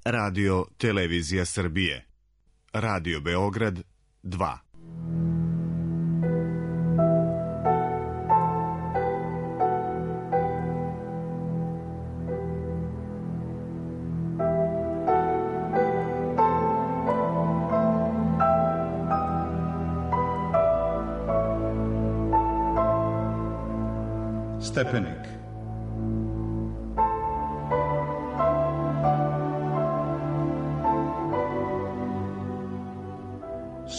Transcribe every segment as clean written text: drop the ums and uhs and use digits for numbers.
Radio Televizija Srbije. Radio Beograd 2. Stepenik.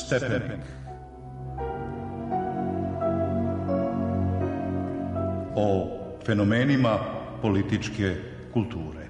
Stepenik. O fenomenima političke kulture.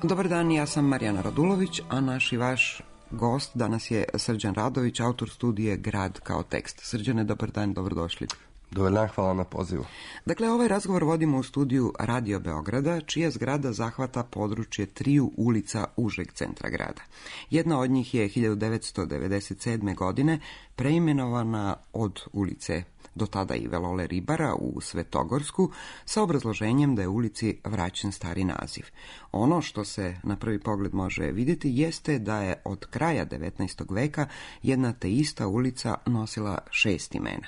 Dobar dan, ja sam Marijana Radulović, a naš i vaš gost danas je Srđan Radović, autor studije Grad kao tekst. Srđane, dobar dan, dobrodošli. Dobar dan, hvala na pozivu. Dakle, ovaj razgovor vodimo u studiju Radio Beograda, čija zgrada zahvata područje 3 ulica užeg centra grada. Jedna od njih je 1997. godine preimenovana od ulice do tada i Velole Ribara u Svetogorsku, sa obrazloženjem da je ulici vraćen stari naziv. Ono što se na prvi pogled može vidjeti jeste da je od kraja 19. veka jedna te ista ulica nosila 6 imena.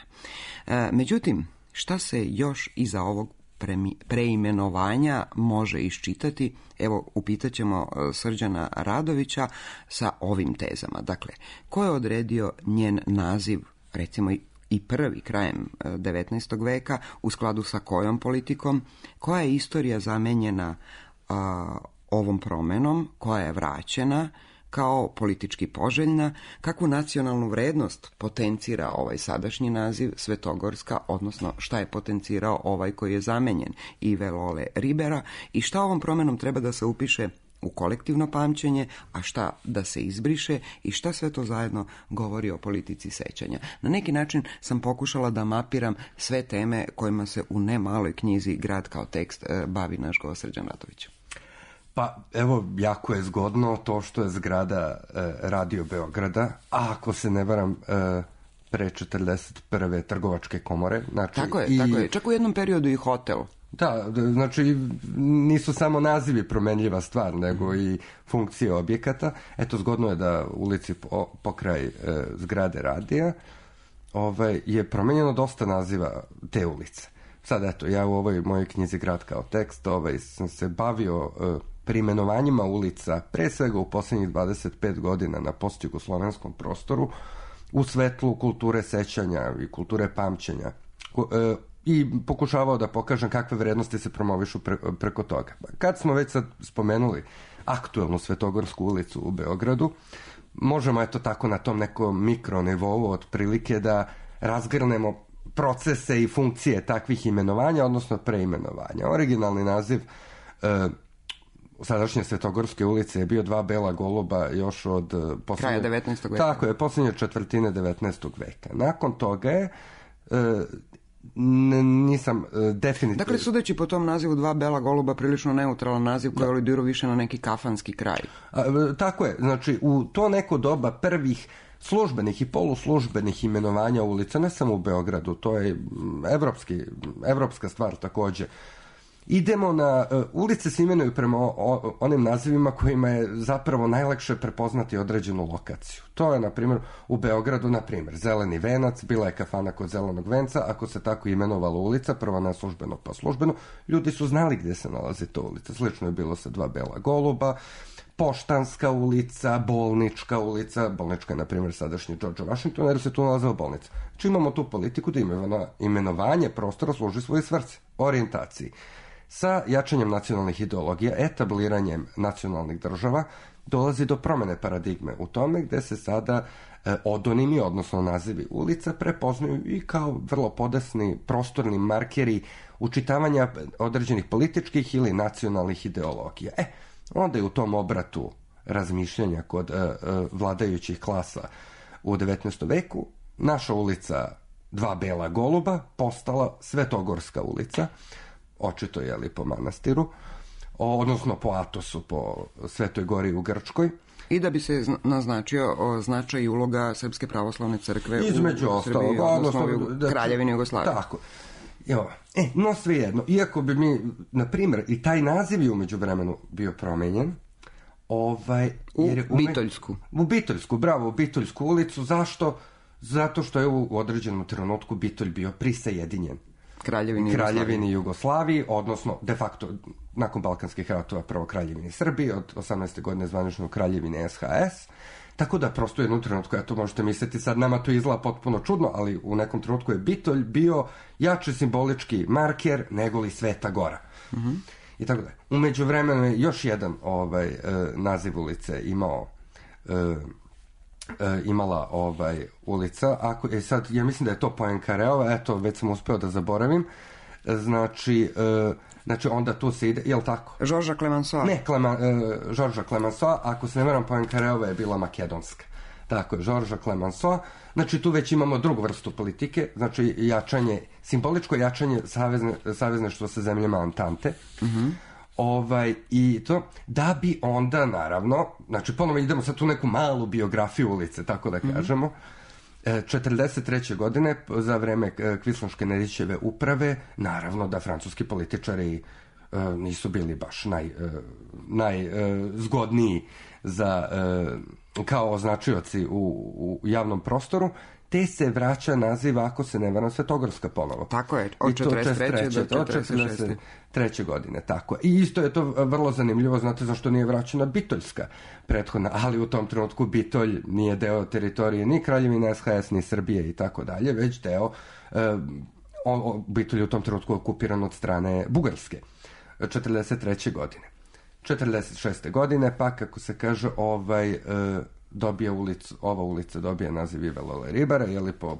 Međutim, šta se još iza ovog preimenovanja može iščitati? Evo, upitat ćemo Srđana Radovića sa ovim tezama. Dakle, ko je odredio njen naziv, recimo i prvi krajem 19. veka, u skladu sa kojom politikom, koja je istorija zamenjena ovom promenom, koja je vraćena kao politički poželjna, kakvu nacionalnu vrednost potencira ovaj sadašnji naziv Svetogorska, odnosno šta je potencirao ovaj koji je zamenjen i Velole Ribera, i šta ovom promenom treba da se upiše u kolektivno pamćenje, a šta da se izbriše i šta sve to zajedno govori o politici sećanja. Na neki način sam pokušala da mapiram sve teme kojima se u ne maloj knjizi Grad kao tekst bavi naš gost Srđan Radović. Pa evo, jako je zgodno to što je zgrada Radio Beograda, a ako se ne varam pre 41. trgovačke komore. Znači, tako je. Čak u jednom periodu i hotel. Da, znači nisu samo nazivi promenljiva stvar, nego i funkcije objekata. Eto, zgodno je da ulici pokraj zgrade radija je promenjeno dosta naziva te ulice. Sad, eto, ja u ovoj mojoj knjizi Grad kao tekst sam se bavio preimenovanjima ulica, pre svega u posljednjih 25 godina na postjugoslovenskom prostoru, u svetlu kulture sećanja i kulture pamćenja. I pokušavao da pokažem kakve vrednosti se promovišu preko toga. Kad smo već sad spomenuli aktuelnu Svetogorsku ulicu u Beogradu, možemo eto tako na tom nekom mikronivou otprilike da razgrnemo procese i funkcije takvih imenovanja, odnosno preimenovanja. Originalni naziv sadašnje Svetogorske ulice je bio 2 bela goluba još od kraja 19. veka. Tako je, posljednje četvrtine 19. veka. Nakon toga je nisam definitivno... Dakle, sudeći po tom nazivu 2 bela goluba, prilično neutralan naziv koji aludirao više na neki kafanski kraj. Tako je, znači u to neko doba prvih službenih i poluslužbenih imenovanja ulica, ne samo u Beogradu, to je evropska stvar također. Idemo na... ulice se imenuju prema onim nazivima kojima je zapravo najlakše prepoznati određenu lokaciju. To je, na primjer, u Beogradu, na primjer, Zeleni venac, bila je kafana kod Zelenog venca, ako se tako imenovala ulica, prvo neslužbeno pa službeno, ljudi su znali gdje se nalazi ta ulica. Slično je bilo sa 2 bela goluba, Poštanska ulica, Bolnička ulica, Bolnička je, na primjer, sadašnji George Washington, jer se tu nalazila bolnica. Znači imamo tu politiku da imenovanje prostora služi svoje svrsi, orijentaciji. Sa jačanjem nacionalnih ideologija, etabliranjem nacionalnih država, dolazi do promjene paradigme u tome gdje se sada odonimi, odnosno nazivi ulica, prepoznaju i kao vrlo podesni prostorni markeri učitavanja određenih političkih ili nacionalnih ideologija. Onda je u tom obratu razmišljanja kod vladajućih klasa u 19. veku naša ulica 2 bela goluba postala Svetogorska ulica, očito je li po manastiru, odnosno po Atosu, po Svetoj gori u Grčkoj. I da bi se naznačio značaj i uloga Srpske pravoslavne crkve između u Srbiji, odnosno Kraljevini Jugoslavije. Tako. No svejedno, iako bi mi, na primjer, i taj naziv je umeđu vremenu bio promenjen, u Bitoljsku. U Bitoljsku ulicu. Zašto? Zato što je u određenom trenutku Bitolj bio prisajedinjen Kraljevini Jugoslaviji, odnosno de facto nakon Balkanskih ratova prvo Kraljevini Srbije, od 18. godine zvanično Kraljevine SHS, tako da prosto u jednom trenutku, eto možete misliti, sad nama to izgleda potpuno čudno, ali u nekom trenutku je Bitolj bio jači simbolički marker nego li Sveta Gora. I tako da. U međuvremenu je još jedan naziv ulice imala ulica. Sad, ja mislim da je to Poincareova, eto, već sam uspeo da zaboravim. Znači onda tu se ide, je li tako? Žorža Clemenceau. Ne, Žorža Clemenceau, ako se ne varam, Poincareova je bila makedonska. Tako je, Žorža Clemenceau. Znači, tu već imamo drugu vrstu politike, znači simboličko jačanje savezništva sa zemljama Antante. I to, da bi onda, naravno, znači, ponovo idemo sad tu neku malu biografiju ulice, tako da kažemo, 43. godine, za vreme Kvislunške Nedićeve uprave, naravno da francuski političari nisu bili baš najzgodniji kao označioci u javnom prostoru, te se vraća naziv, ako se ne varam, Svetogorska ponovo. Tako je, od 43. do 43. godine, tako. I isto je to vrlo zanimljivo, znate zašto nije vraćena Bitoljska prethodna, ali u tom trenutku Bitolj nije deo teritorije ni Kraljevine SHS, ni Srbije i tako dalje, već deo, Bitolj je u tom trenutku okupiran od strane Bugarske, 43. godine. 46. godine, pa kako se kaže, ova ulica dobije naziv Ive Lole Ribara, je li po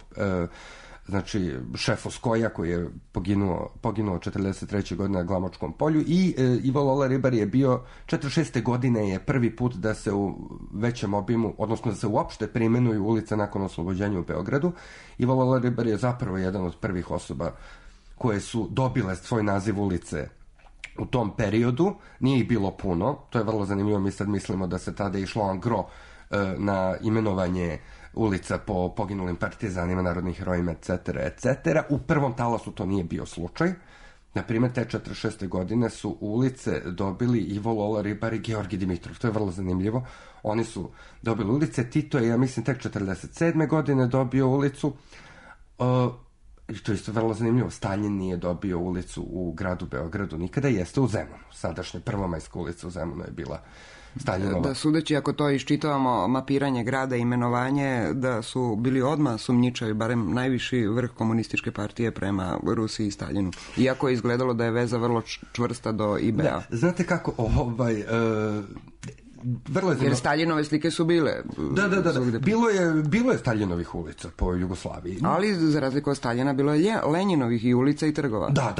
znači šefu Skoja koji je poginuo 43. godine na Glamočkom polju, i Ivo Lola Ribar je bio 46. godine je prvi put da se u većem obimu, odnosno da se uopšte preimenuju ulice nakon oslobođenja u Beogradu. Ivo Lola Ribar je zapravo jedan od prvih osoba koje su dobile svoj naziv ulice u tom periodu. Nije ih bilo puno, to je vrlo zanimljivo, mi sad mislimo da se tada išlo en gros na imenovanje ulica po poginulim partizanima, narodnim herojima, etc. U prvom talasu to nije bio slučaj. Naprimjer, te 46. godine su ulice dobili Ivo Lola Ribar i Georgij Dimitrov. To je vrlo zanimljivo. Oni su dobili ulice. Tito je, ja mislim, tek 47. godine dobio ulicu. I to je isto vrlo zanimljivo. Staljin nije dobio ulicu u gradu Beogradu nikada, jeste u Zemunu. Sadašnja Prvomajska ulica u Zemunu je bila Staljinova. Da, sudeći ako to iščitavamo mapiranje grada, imenovanje, da su bili odmah sumnjičavi, barem najviši vrh komunističke partije prema Rusiji i Staljinu. Iako je izgledalo da je veza vrlo čvrsta do IBA. Da, znate kako, vrlo je jer Staljinove slike su bile. Da. Bilo je Staljinovih ulica po Jugoslaviji. Ali za razliku od Staljina bilo je Lenjinovih i ulica i trgova. Da.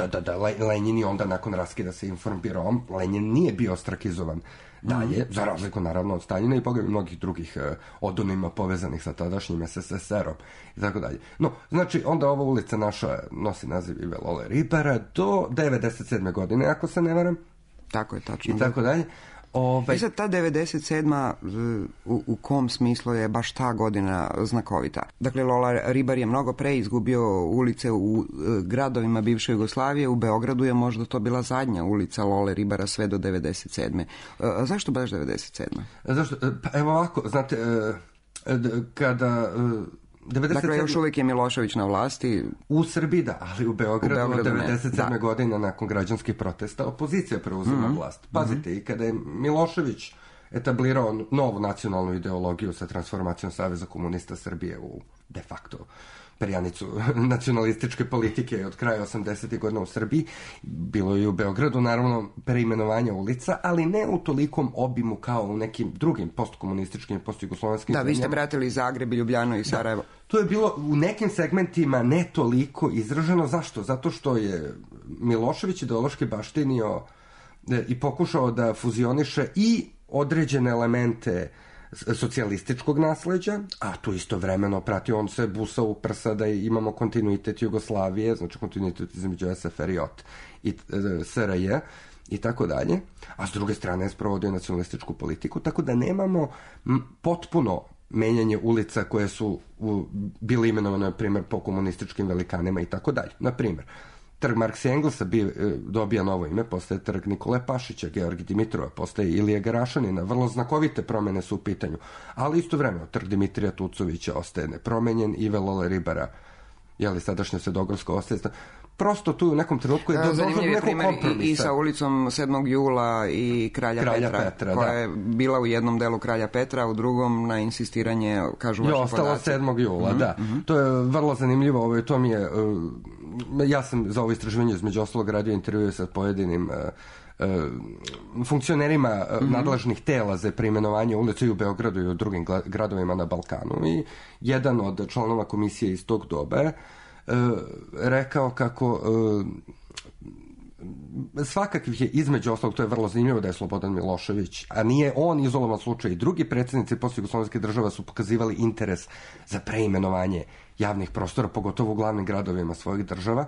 Lenjin je onda nakon raskida sa Informbirom, Lenjin nije bio ostrakizovan dalje, za razliku naravno od Staljina i mnogih drugih odonima povezanih sa tadašnjim SSSR-om i tako dalje. No, znači, onda ova ulica naša nosi naziv Ive Lole Ribara do 97. godine, ako se ne varam. Tako je, tačno. I tako dalje. I sad ta 97. u kom smislu je baš ta godina znakovita? Dakle, Lola Ribar je mnogo pre izgubio ulice u gradovima bivše Jugoslavije, u Beogradu je možda to bila zadnja ulica Lole Ribara sve do 97. Zašto baš 97? Zašto? Pa evo ovako, znate, kada... 97... Dakle, još uvijek je Milošević na vlasti. U Srbiji, da, ali u Beogradu od 97. godine nakon građanskih protesta opozicija preuzima vlast. Pazite, i kada je Milošević etablirao novu nacionalnu ideologiju sa transformacijom Saveza komunista Srbije u de facto perjanicu nacionalističke politike od kraja 80. godina u Srbiji, bilo je i u Beogradu naravno preimenovanja ulica, ali ne u tolikom obimu kao u nekim drugim postkomunističkim, postjugoslovenskim zemljama. Da, vi ste pratili Zagreb i Ljubljano i Sarajevo. Da, to je bilo u nekim segmentima ne toliko izraženo. Zašto? Zato što je Milošević ideološki baštinio i pokušao da fuzioniše i određene elemente socijalističkog nasleđa, a tu istovremeno pratio, on se busao u prsa da imamo kontinuitet Jugoslavije, znači kontinuitet između SFRJ i SRJ, i tako dalje, a s druge strane je sprovodio nacionalističku politiku, tako da nemamo potpuno menjanje ulica koje su bile imenovane, na primjer, po komunističkim velikanima i tako dalje. Na primjer, trg Marksa i Engelsa dobija novo ime, postaje trg Nikole Pašića, Georgi Dimitrova, postaje Ilije Garašanina, vrlo znakovite promjene su u pitanju, ali istovremeno trg Dimitrija Tucovića ostaje nepromenjen i Lole Ribara, sadašnja Svedogorska ostaje. Prosto tu u nekom trenutku je došlo do nekog kompromisa. I sa ulicom 7. jula i Kralja Petra, koja je bila u jednom delu Kralja Petra, a u drugom na insistiranje, kažu vaši podaci. Ostalo 7. jula, da. To je vrlo zanimljivo. To mi je, ja sam za ovo istraživanje između ostalog radio intervjue sa pojedinim funkcionerima nadležnih tela za preimenovanje ulica i u Beogradu i u drugim gradovima na Balkanu. I jedan od članova komisije iz tog doba je rekao kako svakakvih je između ostalog, to je vrlo zanimljivo da je Slobodan Milošević, a nije on izolovan slučaj, i drugi predsjednici postjugoslovenskih država su pokazivali interes za preimenovanje javnih prostora, pogotovo u glavnim gradovima svojih država,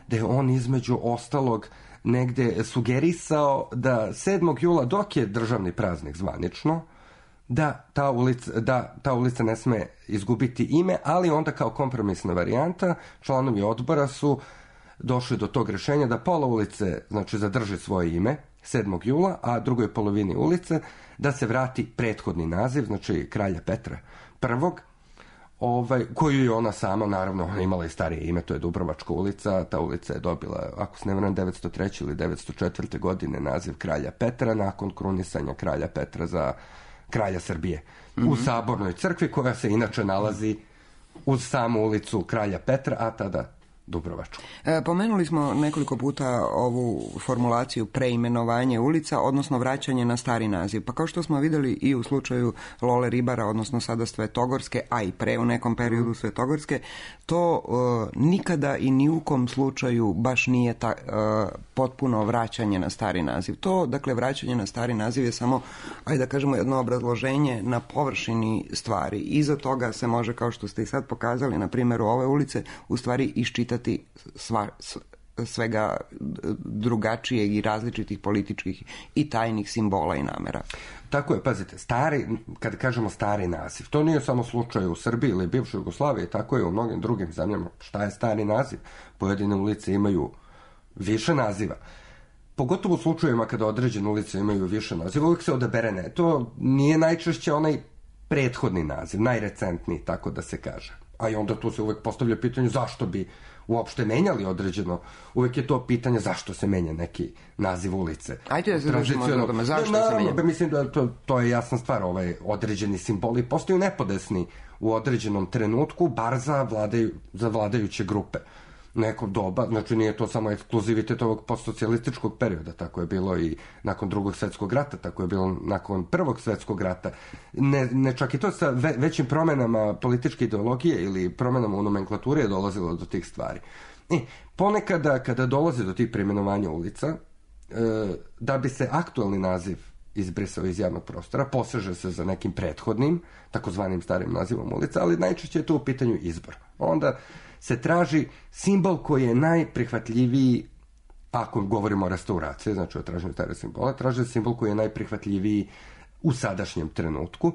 da je on između ostalog negde sugerisao da 7. jula, dok je državni praznik zvanično, da ta ulica ne sme izgubiti ime, ali onda kao kompromisna varijanta članovi odbora su došli do tog rješenja da pola ulice, znači, zadrži svoje ime 7. jula, a drugoj polovini ulice da se vrati prethodni naziv, znači Kralja Petra I, koju je ona sama, naravno, ona imala i starije ime, to je Dubrovačka ulica. Ta ulica je dobila, ako se ne varam, 903. ili 904. godine naziv Kralja Petra, nakon krunisanja Kralja Petra za kralja Srbije u Sabornoj crkvi, koja se inače nalazi uz samu ulicu Kralja Petra, a tada Dubrovačku. Pomenuli smo nekoliko puta ovu formulaciju preimenovanje ulica, odnosno vraćanje na stari naziv. Pa kao što smo vidjeli i u slučaju Lole Ribara, odnosno sada Svetogorske, a i pre u nekom periodu Svetogorske, to nikada i ni u kom slučaju baš nije potpuno vraćanje na stari naziv. To, dakle, vraćanje na stari naziv je samo, ajde da kažemo, jedno obrazloženje na površini stvari. Iza toga se može, kao što ste i sad pokazali na primjeru ove ulice, u stvari iščitati svega drugačijeg i različitih političkih i tajnih simbola i namera. Tako je, pazite, kad kažemo stari naziv, to nije samo slučaj u Srbiji ili bivšoj Jugoslaviji, tako je u mnogim drugim zemljama. Šta je stari naziv? Pojedine ulice imaju više naziva. Pogotovo u slučajevima kada određene ulice imaju više naziva, uvijek se odabere to nije najčešće onaj prethodni naziv, najrecentniji, tako da se kaže. A i onda tu se uvijek postavlja pitanje zašto bi uopšte menjali određeno. Uvijek je to pitanje zašto se menja neki naziv ulice. Ajde da se držimo od toga, zašto se menja? Mislim da to je jasna stvar, određeni simboli postaju nepodesni u određenom trenutku, bar za vladajuće grupe. Neko doba, znači nije to samo ekskluzivitet ovog postsocijalističkog perioda, tako je bilo i nakon Drugog svjetskog rata, tako je bilo nakon Prvog svjetskog rata. Ne čak i to sa većim promjenama političke ideologije ili promjenama u nomenklaturi je dolazilo do tih stvari. Ponekada kada dolazi do tih preimenovanja ulica, da bi se aktualni naziv izbrisao iz javnog prostora, poseže se za nekim prethodnim, takozvanim starim nazivom ulica, ali najčešće je to u pitanju izbor. Onda se traži simbol koji je najprihvatljiviji, ako govorimo o restauraciji, znači o traženju stare simbola, traži simbol koji je najprihvatljiviji u sadašnjem trenutku.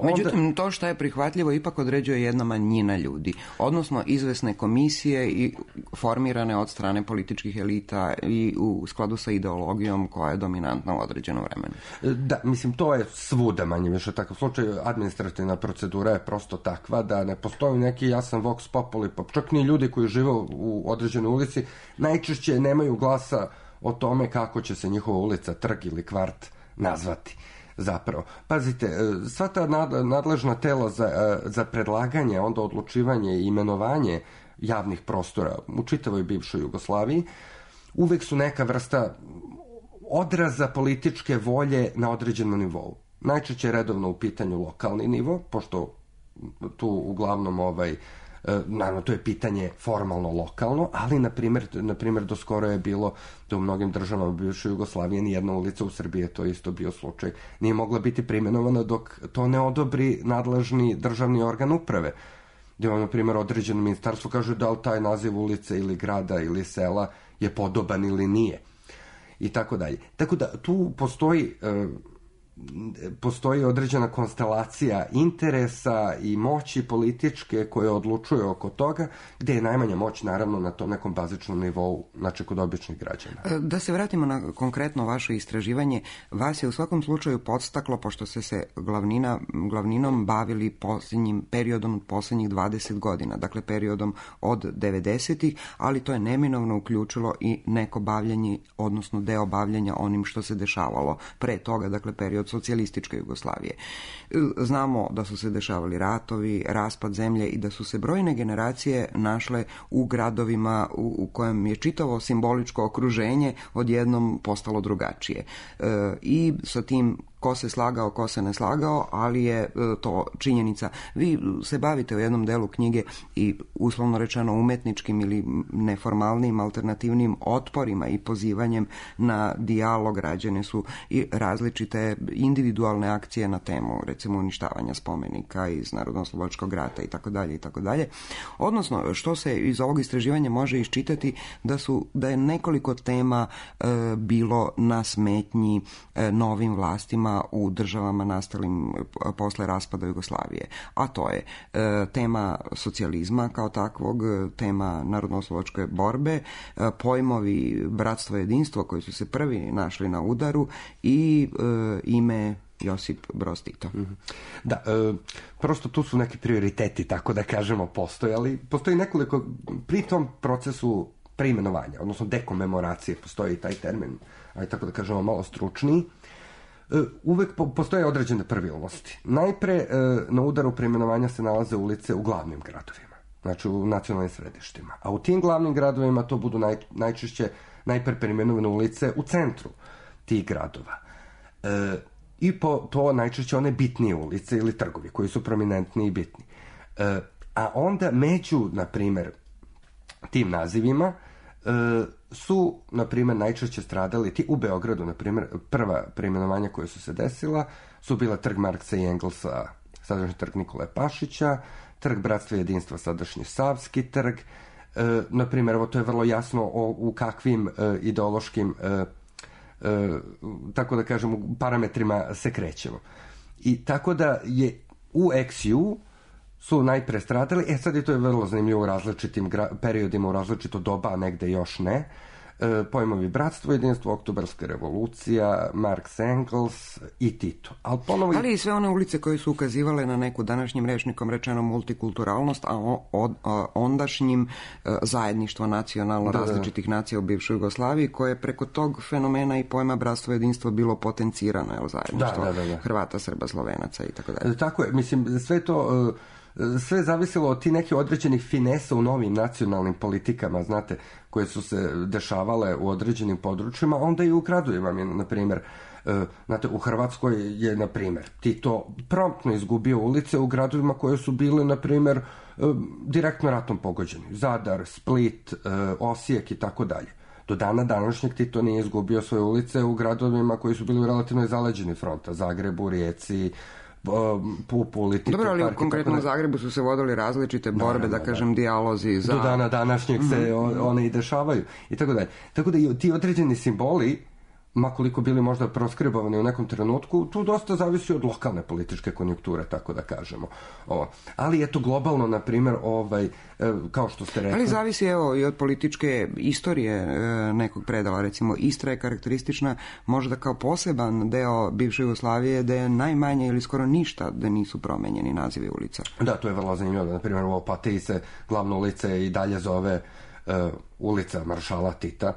Međutim, to što je prihvatljivo ipak određuje jedna manjina ljudi, odnosno izvesne komisije i formirane od strane političkih elita i u skladu sa ideologijom koja je dominantna u određenom vremenu. Da, mislim, to je svuda manje više takav slučaj. Administrativna procedura je prosto takva da ne postoji neki jasan vox populi, pa čak ni ljudi koji žive u određenoj ulici najčešće nemaju glasa o tome kako će se njihova ulica, trg ili kvart nazvati. Zapravo. Pazite, sva ta nadležna tela za predlaganje, onda odlučivanje i imenovanje javnih prostora u čitavoj bivšoj Jugoslaviji uvek su neka vrsta odraza političke volje na određenom nivou. Najčešće je redovno u pitanju lokalni nivo, pošto tu uglavnom naravno to je pitanje formalno lokalno, ali na primjer do skoro je bilo da u mnogim državama bivše Jugoslavije nijedna ulica u Srbiji, to je isto bio slučaj, nije mogla biti preimenovana dok to ne odobri nadležni državni organ uprave. Gdje vam, na primjer, određeno ministarstvo kaže da li taj naziv ulice ili grada ili sela je podoban ili nije. i tako dalje. Tako da tu postoji određena konstelacija interesa i moći političke koje odlučuju oko toga, gde je najmanja moć naravno na tom nekom bazičnom nivou, znači kod običnih građana. Da se vratimo na konkretno vaše istraživanje, vas je u svakom slučaju podstaklo, pošto ste se glavninom bavili periodom posljednjih 20 godina, dakle periodom od 90-ih, ali to je neminovno uključilo i neko bavljanje, odnosno deo bavljanja onim što se dešavalo pre toga, dakle period socijalističke Jugoslavije. Znamo da su se dešavali ratovi, raspad zemlje i da su se brojne generacije našle u gradovima u kojem je čitavo simboličko okruženje odjednom postalo drugačije. I sa tim ko se slagao, ko se ne slagao, ali je to činjenica. Vi se bavite u jednom delu knjige i uslovno rečeno umetničkim ili neformalnim alternativnim otporima i pozivanjem na dijalog. Rađene su i različite individualne akcije na temu, recimo uništavanja spomenika iz Narodnooslobodilačkog rata i tako dalje. Odnosno, što se iz ovog istraživanja može iščitati da je nekoliko tema bilo na smetnji novim vlastima u državama nastalim posle raspada Jugoslavije. A to je tema socijalizma kao takvog, tema narodnooslobodilačke borbe, pojmovi bratstvo i jedinstvo koji su se prvi našli na udaru i ime Josip Broz Tito. Da, prosto tu su neki prioriteti, tako da kažemo, postojali. Postoji nekoliko, pri tom procesu preimenovanja, odnosno dekomemoracije, postoji taj termin, aj tako da kažemo malo stručniji, uvek postoje određene pravilnosti. Najpre na udaru preimenovanja se nalaze ulice u glavnim gradovima, znači u nacionalnim središtima. A u tim glavnim gradovima to budu najčešće najpre preimenovane ulice u centru tih gradova. I to najčešće one bitnije ulice ili trgovi koji su prominentni i bitni. A onda među, na primer, tim nazivima su, na primjer, najčešće stradali u Beogradu, na primjer, prva preimenovanja koja su se desila su bila trg Marksa i Engelsa, sadašnji trg Nikole Pašića, trg Bratstva i jedinstva, sadašnji Savski trg. Na primjer, evo, to je vrlo jasno u kakvim ideološkim, tako da kažem, parametrima se krećemo. I tako da je u XU su najpre stradali, sad je to vrlo zanimljivo u različitim periodima, u različito doba, a negde još ne. Pojmovi bratstvo, jedinstvo, oktobarska revolucija, Marks, Engels i Tito. Ali i sve one ulice koje su ukazivale na neku današnjim rečnikom rečeno multikulturalnost, a ondašnjim zajedništvo nacionalno različitih nacija u bivšoj Jugoslaviji, koje je preko tog fenomena i pojma bratstvo, jedinstvo bilo potencirano, zajedništvo Hrvata, Srba, Slovenaca i tako dalje. Tako je, mislim, sve to sve zavisilo od ti nekih određenih finesa u novim nacionalnim politikama, znate, koje su se dešavale u određenim područjima, onda i u gradovima, na primjer, znate, u Hrvatskoj je, na primjer, Tito promptno izgubio ulice u gradovima koje su bile, na primjer, direktno ratom pogođeni. Zadar, Split, Osijek i tako dalje. Do dana današnjeg Tito nije izgubio svoje ulice u gradovima koji su bili relativno zaleđeni fronta, Zagrebu, Rijeci, Pupuli. Dobro, ali u konkretnom Zagrebu su se vodili različite borbe, da kažem, dijalozi za... Do dana današnjeg se one i dešavaju i tako dalje. Tako da ti određeni simboli, makoliko bili možda proskribovani u nekom trenutku, tu dosta zavisi od lokalne političke konjunkture, tako da kažemo. Ali eto, globalno, na primjer, kao što ste rekli... Ali zavisi, evo, i od političke istorije nekog predala. Recimo, Istra je karakteristična možda kao poseban deo bivše Jugoslavije, da je najmanje ili skoro ništa da nisu promenjeni nazivi ulica. Da, to je vrlo zanimljivo. Na primjer, u Opatiji se glavna ulica i dalje zove ulica Maršala Tita.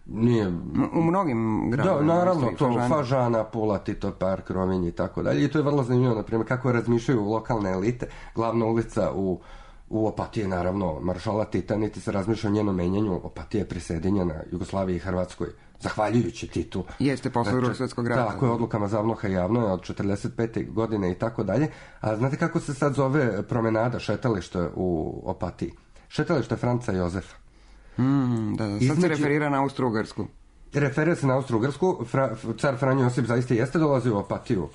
Nije... U mnogim gradovima. Da, naravno, to Fažana, Pula, Tito Park, Rovinj i tako dalje. I to je vrlo zanimljivo, na primjer, kako razmišljaju lokalne elite. Glavna ulica u Opatiji je, naravno, Maršala Tita, niti se razmišlja o njenom menjanju. Opatija je prisjedinjena Jugoslaviji i Hrvatskoj, zahvaljujući Titu. Jeste, posle Drugog svjetskog rata. Tako je, odlukama Zavnoha Javno je od 45. godine i tako dalje. A znate kako se sad zove promenada, šetalište u Opatiji? Šetalište Franca Jozefa. Sad se referira na Austro-Ugarsku. Referira se na Austro-Ugarsku. Car Franjo Josip zaista jeste dolazio u Opatiju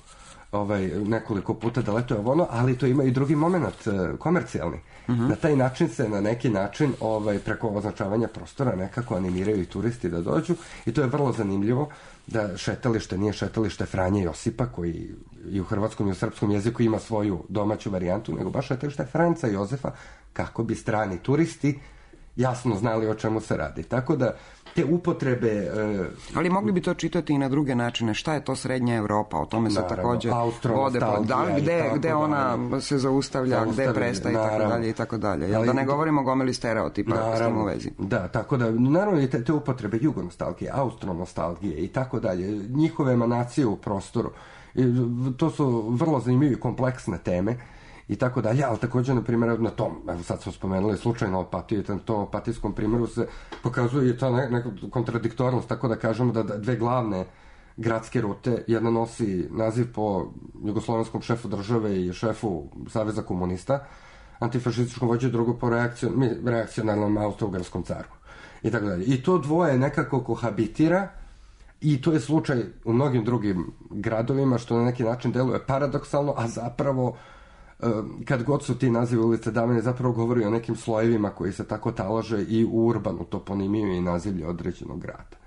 nekoliko puta da letuje ono, ali to ima i drugi moment, komercijalni. Na taj način se, na neki način, preko označavanja prostora nekako animiraju i turisti da dođu i to je vrlo zanimljivo da šetalište nije šetalište Franje Josipa, koji i u hrvatskom i u srpskom jeziku ima svoju domaću varijantu, nego baš šetalište Franca Jozefa, kako bi strani turisti jasno znali o čemu se radi. Tako da te upotrebe... Ali mogli bi to čitati i na druge načine. Šta je to Srednja Evropa? O tome se također vode. Gde ona se zaustavlja, gde prestaje i tako dalje. Da ne govorimo o gomili stereotipa s tim u vezi. Da, tako da, naravno i te upotrebe jugonostalgije, austronostalgije i tako dalje, njihove emanacije u prostoru. To su vrlo zanimljive i kompleksne teme i tako dalje, ali također, na primjer, na tom, evo sad smo spomenuli slučajno Opatiju, na tom opatijskom primjeru se pokazuje i ta neka kontradiktornost, tako da kažemo da dve glavne gradske rute, jedna nosi naziv po jugoslovenskom šefu države i šefu Saveza komunista, antifašističkom vođi, drugo po reakcionarnom austro-ugarskom caru. I tako dalje. I to dvoje nekako kohabitira i to je slučaj u mnogim drugim gradovima, što na neki način deluje paradoksalno, a zapravo kad god su ti nazivi ulice davane, zapravo govori o nekim slojevima koji se tako talože i u urbanu toponimiju i nazivlje određenog grada.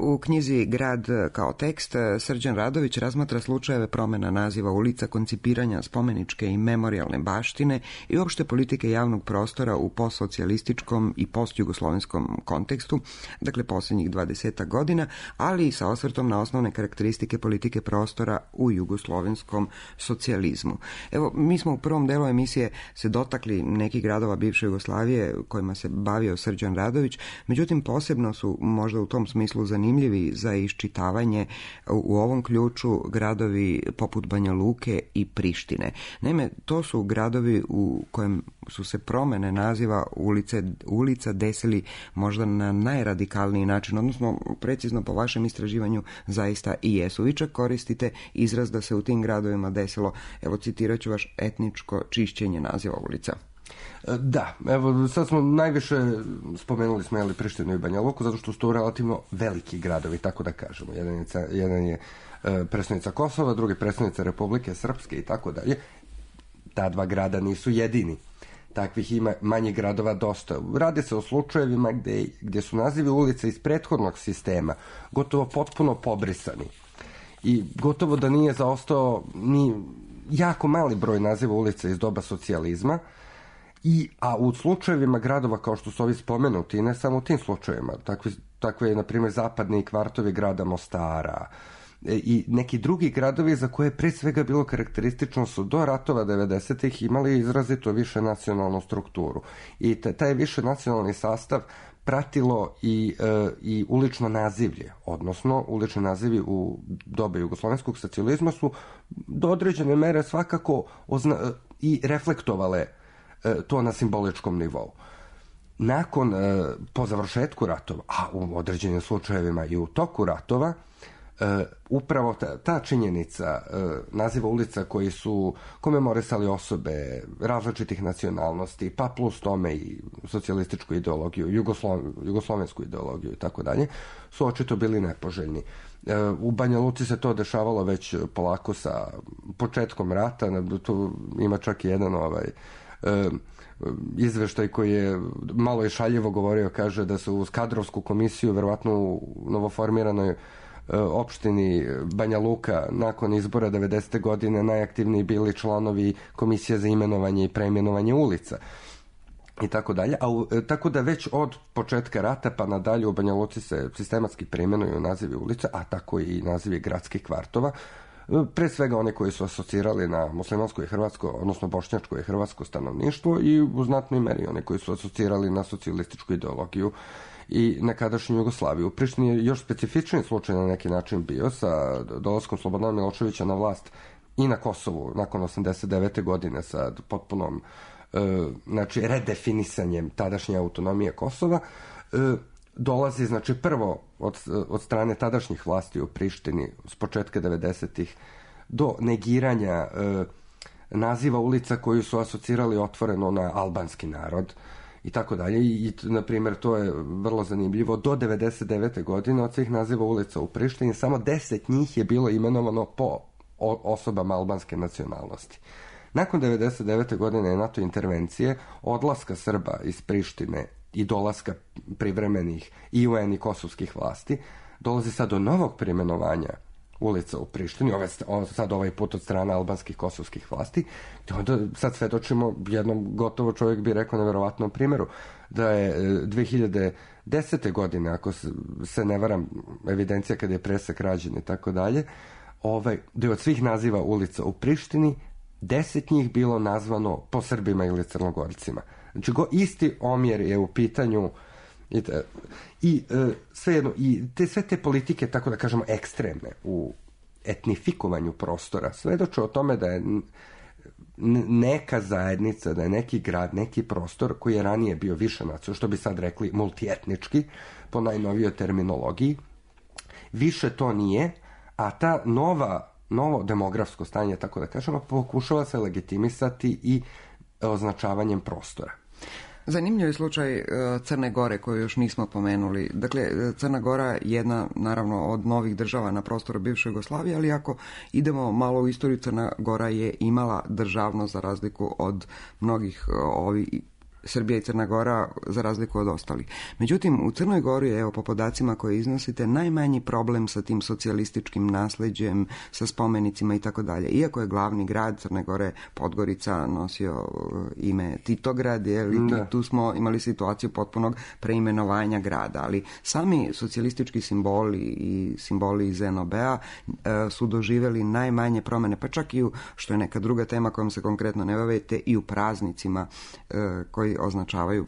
U knjizi Grad kao tekst Srđan Radović razmatra slučajeve promjena naziva ulica, koncipiranja spomeničke i memorijalne baštine i uopšte politike javnog prostora u postsocijalističkom i postjugoslovenskom kontekstu, dakle posljednjih 20 godina, ali i sa osvrtom na osnovne karakteristike politike prostora u jugoslovenskom socijalizmu. Evo, mi smo u prvom delu emisije se dotakli nekih gradova bivše Jugoslavije kojima se bavio Srđan Radović, međutim posebno su možda u tom smislu zanimljivi za iščitavanje u ovom ključu gradovi poput Banja Luke i Prištine. Naime, to su gradovi u kojem su se promjene naziva ulica desili možda na najradikalniji način, odnosno precizno po vašem istraživanju zaista i jesu. Vi čak koristite izraz da se u tim gradovima desilo, evo citirat ću vaš, etničko čišćenje naziva ulica. Da, evo sad smo najviše spomenuli smo Prištinu i Banja Luku zato što su to relativno veliki gradovi, tako da kažemo. Jedan je predstavnica Kosova, drugi predstavnica Republike Srpske i tako dalje. Ta dva grada nisu jedini. Takvih ima manjih gradova dosta. Radi se o slučajevima gdje su nazivi ulica iz prethodnog sistema gotovo potpuno pobrisani. I gotovo da nije zaostao ni jako mali broj naziva ulica iz doba socijalizma. A u slučajevima gradova kao što su ovi spomenuti, ne samo u tim slučajevima, takve je na primjer zapadni kvartovi grada Mostara i neki drugi gradovi za koje pre svega bilo karakteristično su do ratova 90-ih imali izrazito više nacionalnu strukturu i taj više nacionalni sastav pratilo i ulično nazivlje, odnosno ulični nazivi u doba jugoslovenskog socijalizma su do određene mere svakako i reflektovale to na simboličkom nivou. Nakon, po završetku ratova, a u određenim slučajevima i u toku ratova, upravo ta činjenica naziva ulica koji su komemorisali osobe različitih nacionalnosti, pa plus tome i socijalističku ideologiju, jugoslovensku ideologiju i tako dalje, su očito bili nepoželjni. U Banja Luci se to dešavalo već polako sa početkom rata, tu ima čak i jedan izveštaj koji je malo i šaljivo govorio, kaže da su uz kadrovsku komisiju verovatno u novoformiranoj opštini Banja Luka nakon izbora 90. godine najaktivniji bili članovi komisije za imenovanje i preimenovanje ulica i tako dalje. Tako da već od početka rata pa nadalje u Banja Luci se sistematski preimenuju nazivi ulica, a tako i nazivi gradskih kvartova. Pre svega one koji su asocirali na muslimansko i hrvatsko, odnosno bošnjačko i hrvatsko stanovništvo i u znatnoj meri one koji su asocirali na socijalističku ideologiju i nekadašnju Jugoslaviju. U Prištini je još specifični slučaj na neki način bio sa dolaskom Slobodana Miloševića na vlast i na Kosovu nakon 89. godine sa potpunom redefinisanjem tadašnje autonomije Kosova. Dolazi, prvo od strane tadašnjih vlasti u Prištini s početka 90-ih do negiranja naziva ulica koju su asocirali otvoreno na albanski narod i tako dalje. I, na primjer, to je vrlo zanimljivo. Do 99. godine od svih naziva ulica u Prištini samo 10 njih je bilo imenovano po osobama albanske nacionalnosti. Nakon 99. godine NATO intervencije, odlaska Srba iz Prištine i dolaska privremenih i UN i kosovskih vlasti, dolazi sad do novog preimenovanja ulica u Prištini, sad ovaj put od strane albanskih kosovskih vlasti, onda sad svedočimo jednom, gotovo čovjek bi rekao, neverovatnom primjeru, da je 2010. godine, ako se ne varam, evidencija kada je presek rađen i tako dalje, da je od svih naziva ulica u Prištini 10 njih bilo nazvano po Srbima ili Crnogorcima. Znači, isti omjer je u pitanju sve te politike, tako da kažemo, ekstremne u etnifikovanju prostora, svedoče o tome da je neka zajednica, da je neki grad, neki prostor koji je ranije bio više nacionalno, što bi sad rekli multietnički, po najnovijoj terminologiji, više to nije, a ta novo demografsko stanje, tako da kažemo, pokušava se legitimisati i označavanjem prostora. Zanimljiv je slučaj Crne Gore koju još nismo pomenuli. Dakle, Crna Gora je jedna, naravno, od novih država na prostoru bivše Jugoslavije, ali ako idemo malo u istoriju, Crna Gora je imala državnost za razliku od mnogih Srbija i Crna Gora za razliku od ostalih. Međutim, u Crnoj Gori, evo po podacima koje iznosite, najmanji problem sa tim socijalističkim nasleđem, sa spomenicima i tako dalje. Iako je glavni grad Crne Gore, Podgorica, nosio ime Titograd, tu smo imali situaciju potpunog preimenovanja grada, ali sami socijalistički simboli i simboli iz NOB-a su doživjeli najmanje promjene, pa čak i što je neka druga tema kojom se konkretno ne bavite, i u praznicima koji označavaju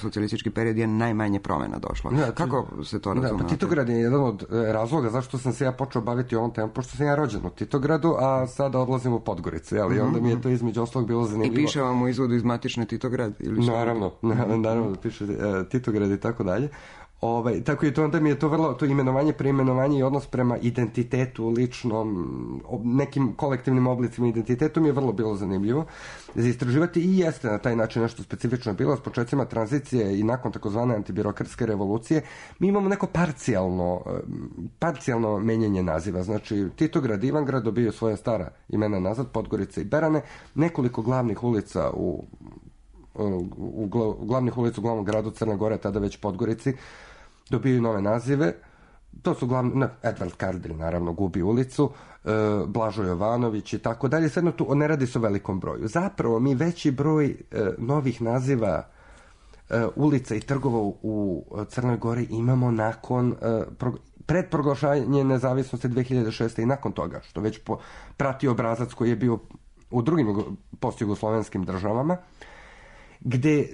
socijalistički period je najmanje promjena došlo. Kako se to razumete? Pa Titograd je jedan od razloga zašto sam se ja počeo baviti ovom temom, pošto sam ja rođen u Titogradu, a sada odlazim u Podgoricu, ali onda mi je to između ostalog bilo zanimljivo. I piše vam u izvodu iz matične Titograd? Ili naravno da piše Titograd i tako dalje. Tako je to, onda mi je to vrlo, to imenovanje, preimenovanje i odnos prema identitetu ličnom, nekim kolektivnim oblicima identitetu mi je vrlo bilo zanimljivo za istraživati i jeste na taj način nešto specifično bilo. S početcima tranzicije i nakon takozvane antibirokratske revolucije mi imamo neko parcijalno menjanje naziva. Znači Titograd, Ivangrad dobio svoje stara imena nazad, Podgorica i Berane, nekoliko glavnih ulica glavnih ulica u glavnom gradu Crne Gore, tada već Podgorici, dobiju nove nazive. To su Edvard Kardelj, naravno, gubi ulicu, Blažo Jovanović i tako dalje. Svejedno tu ne radi se o velikom broju. Zapravo mi veći broj novih naziva ulica i trgova u Crnoj Gori imamo nakon pred proglašanje nezavisnosti 2006. i nakon toga, što već prati obrazac koji je bio u drugim postjugoslovenskim državama, gde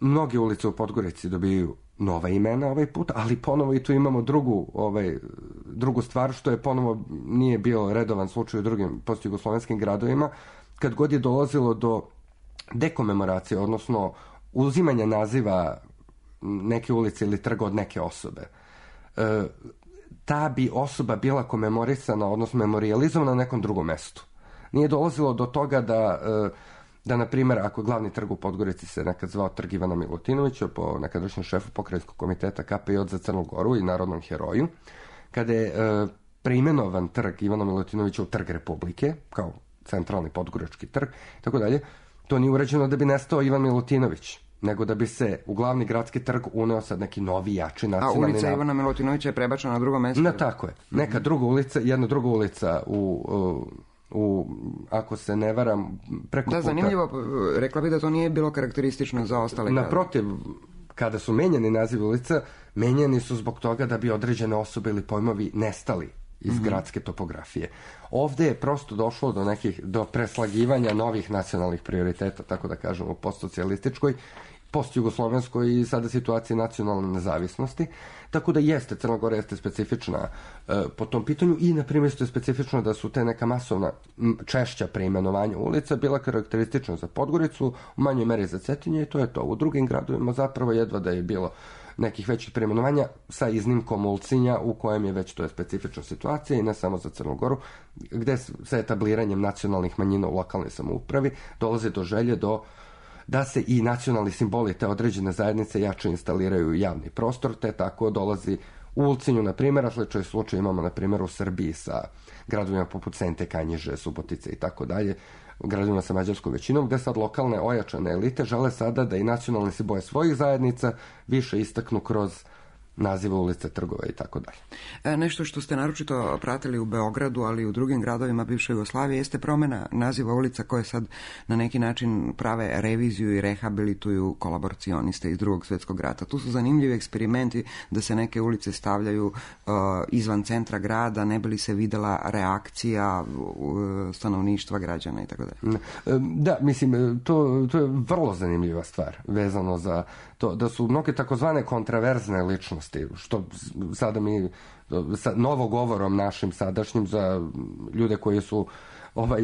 mnoge ulice u Podgorici dobiju nova imena ovaj put, ali ponovo i tu imamo drugu stvar, što je ponovo nije bio redovan slučaj u drugim postjugoslovenskim gradovima, kad god je dolazilo do dekomemoracije, odnosno uzimanja naziva neke ulice ili trga od neke osobe. Ta bi osoba bila komemorisana, odnosno memorijalizovana na nekom drugom mestu. Nije dolazilo do toga da, na primjer, ako glavni trg u Podgorici se nekad zvao Trg Ivana Milutinovića, po nekadašnjem šefu pokrajinskog komiteta KPJ za Crnu Goru i narodnom heroju, kada je preimenovan trg Ivana Milutinovića u Trg Republike, kao centralni podgorički trg, tako dalje, to nije urađeno da bi nestao Ivan Milutinović, nego da bi se u glavni gradski trg uneo sad neki novi, jači nacionalni... A ulica Ivana Milutinovića je prebačena na drugo mjesto? Tako je. Neka druga ulica, jedna druga ulica ako se ne varam, preko puta. Da, zanimljivo, rekla bi da to nije bilo karakteristično za ostale grade. Naprotiv, kada su menjani nazivi ulica, menjani su zbog toga da bi određene osobe ili pojmovi nestali iz gradske topografije. Ovde je prosto došlo do preslagivanja novih nacionalnih prioriteta, tako da kažemo, postsocijalističkoj, postjugoslovenskoj i sada situaciji nacionalne nezavisnosti. Tako da jeste, Crna Gora jeste specifična po tom pitanju i, na primjer, je specifično da su te neka masovna češća preimenovanja ulica bila karakteristična za Podgoricu, u manjoj meri za Cetinje i to je to. U drugim gradovima zapravo jedva da je bilo nekih većih preimenovanja, sa iznimkom Ulcinja, u kojem je već to je specifična situacija i ne samo za Crnu Goru, gde sa etabliranjem nacionalnih manjina u lokalnoj samoupravi dolazi do želje da se i nacionalni simboli te određene zajednice jače instaliraju u javni prostor, te tako dolazi u Ulcinju, na primjer, a sličan slučaj imamo, na primjer, u Srbiji sa gradovima poput Sente, Kanjiže, Subotice i tako dalje, gradovima sa mađarskom većinom, gde sad lokalne ojačane elite žele sada da i nacionalni simboli svojih zajednica više istaknu kroz nazive ulice, trgova i tako dalje. Nešto što ste naročito pratili u Beogradu, ali i u drugim gradovima bivše Jugoslavije, jeste promjena naziva ulica koje sad na neki način prave reviziju i rehabilituju kolaboracioniste iz Drugog svjetskog rata. Tu su zanimljivi eksperimenti da se neke ulice stavljaju izvan centra grada, ne bi li se videla reakcija stanovništva, građana i tako dalje. Da, mislim, to je vrlo zanimljiva stvar vezano za to da su mnoge takozvane kontraverzne ličnosti, što sada mi sa novogovorom našim sadašnjim za ljude koji su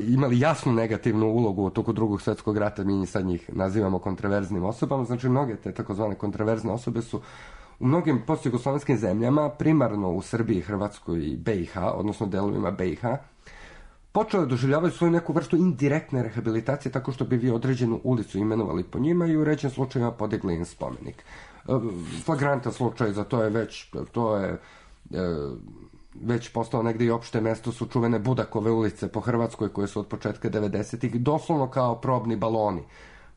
imali jasnu negativnu ulogu u toku Drugog svjetskog rata, mi sad njih nazivamo kontraverznim osobama. Znači mnoge te takozvane kontraverzne osobe su u mnogim postjugoslovenskim zemljama, primarno u Srbiji, Hrvatskoj i BiH, odnosno delovima BiH, počeli doživljavaju svoju neku vrstu indirektne rehabilitacije tako što bi vi određenu ulicu imenovali po njima i u uređenim slučajima podigli im spomenik. Flagrantan slučaj za to je već postao negdje i opšte mesto su čuvene Budakove ulice po Hrvatskoj koje su od početka 90-ih doslovno kao probni baloni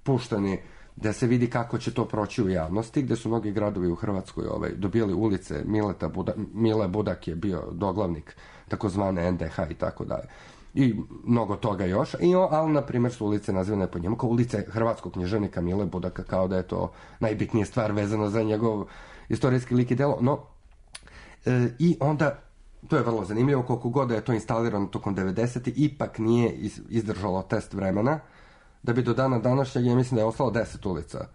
puštani da se vidi kako će to proći u javnosti, gde su mnogi gradovi u Hrvatskoj dobijali ulice. Mile Budak je bio doglavnik takozvane NDH i tako dalje. I mnogo toga još. Ali, na primjer, su ulice nazivane po njemu kao ulice hrvatskog književnika Mile Budaka, kao da je to najbitnija stvar vezano za njegov istorijski lik i delo. No, i onda, to je vrlo zanimljivo, koliko god da je to instalirano tokom 90. ipak nije izdržalo test vremena, da bi do dana današnjeg, ja mislim da je ostalo 10 ulica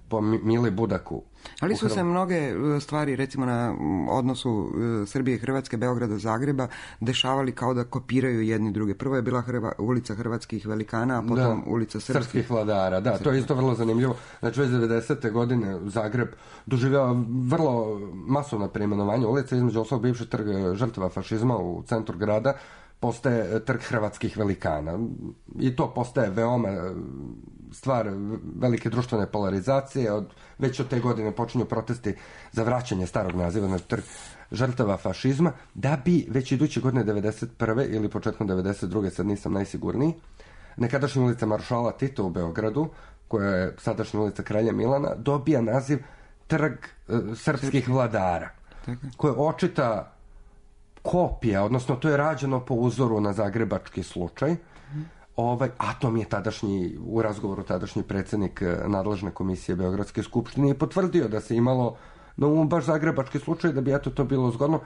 po Mili Budaku. Ali su se mnoge stvari, recimo na odnosu Srbije i Hrvatske, Beograda, Zagreba, dešavali kao da kopiraju jedni druge. Prvo je bila ulica hrvatskih velikana, a potom ulica srpskih vladara. Da, to je isto vrlo zanimljivo. Znači, već 90. godine Zagreb doživljava vrlo masovna preimenovanja ulica, između ostalog bivši trg žrtava fašizma u centru grada postaje trg hrvatskih velikana. I to postaje veoma stvar velike društvene polarizacije. Već od te godine počinju protesti za vraćanje starog naziva na trg žrtava fašizma, da bi već iduće godine 91. ili početkom 92. sad nisam najsigurniji, nekadašnja ulica Maršala Tita u Beogradu, koja je sadašnja ulica Kralja Milana, dobija naziv trg srpskih vladara, koja je očita kopija, odnosno to je rađeno po uzoru na zagrebački slučaj. A to mi je u razgovoru tadašnji predsjednik nadležne komisije Beogradske skupštine i potvrdio da se imalo na umu baš zagrebački slučaj, da bi to bilo zgodno,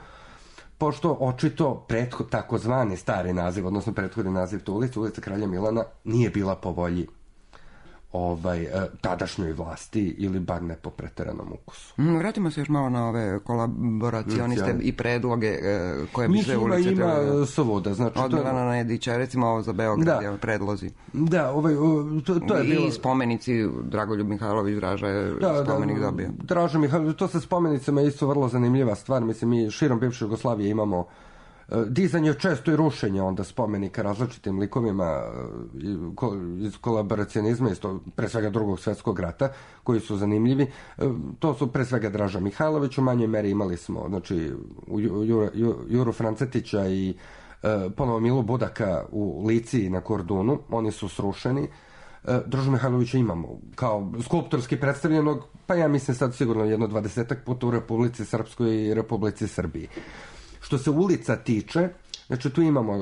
pošto očito takozvani stari naziv, odnosno prethodni naziv te ulice, ulica Kralja Milana, nije bila po volji tadašnjoj vlasti ili bar ne po preteranom ukusu. Vratimo se još malo na ove kolaboracioniste i predloge koje bi sve ulice ima svuda. Znači, od Milana Nedića, recimo ovo za Beograd, predlozi. Da, to je bilo... I spomenici, Dragoljub Mihajlović Draža je spomenik dobio. Draža Mihajlović, to sa spomenicama je isto vrlo zanimljiva stvar. Mislim, mi širom bivše Jugoslavije imamo dizanje često i rušenje onda spomenika različitim likovima iz kolaboracionizma, pre svega Drugog svjetskog rata, koji su zanimljivi. To su pre svega Draža Mihajlović, u manjoj meri imali smo Juru Francetića i ponovo Milu Budaka u Lici na Kordunu. Oni su srušeni. Draža Mihajlovića imamo kao skulptorski predstavljenog, pa ja mislim sad sigurno 20 puta u Republici Srpskoj i Republici Srbiji. Što se ulica tiče, znači tu imamo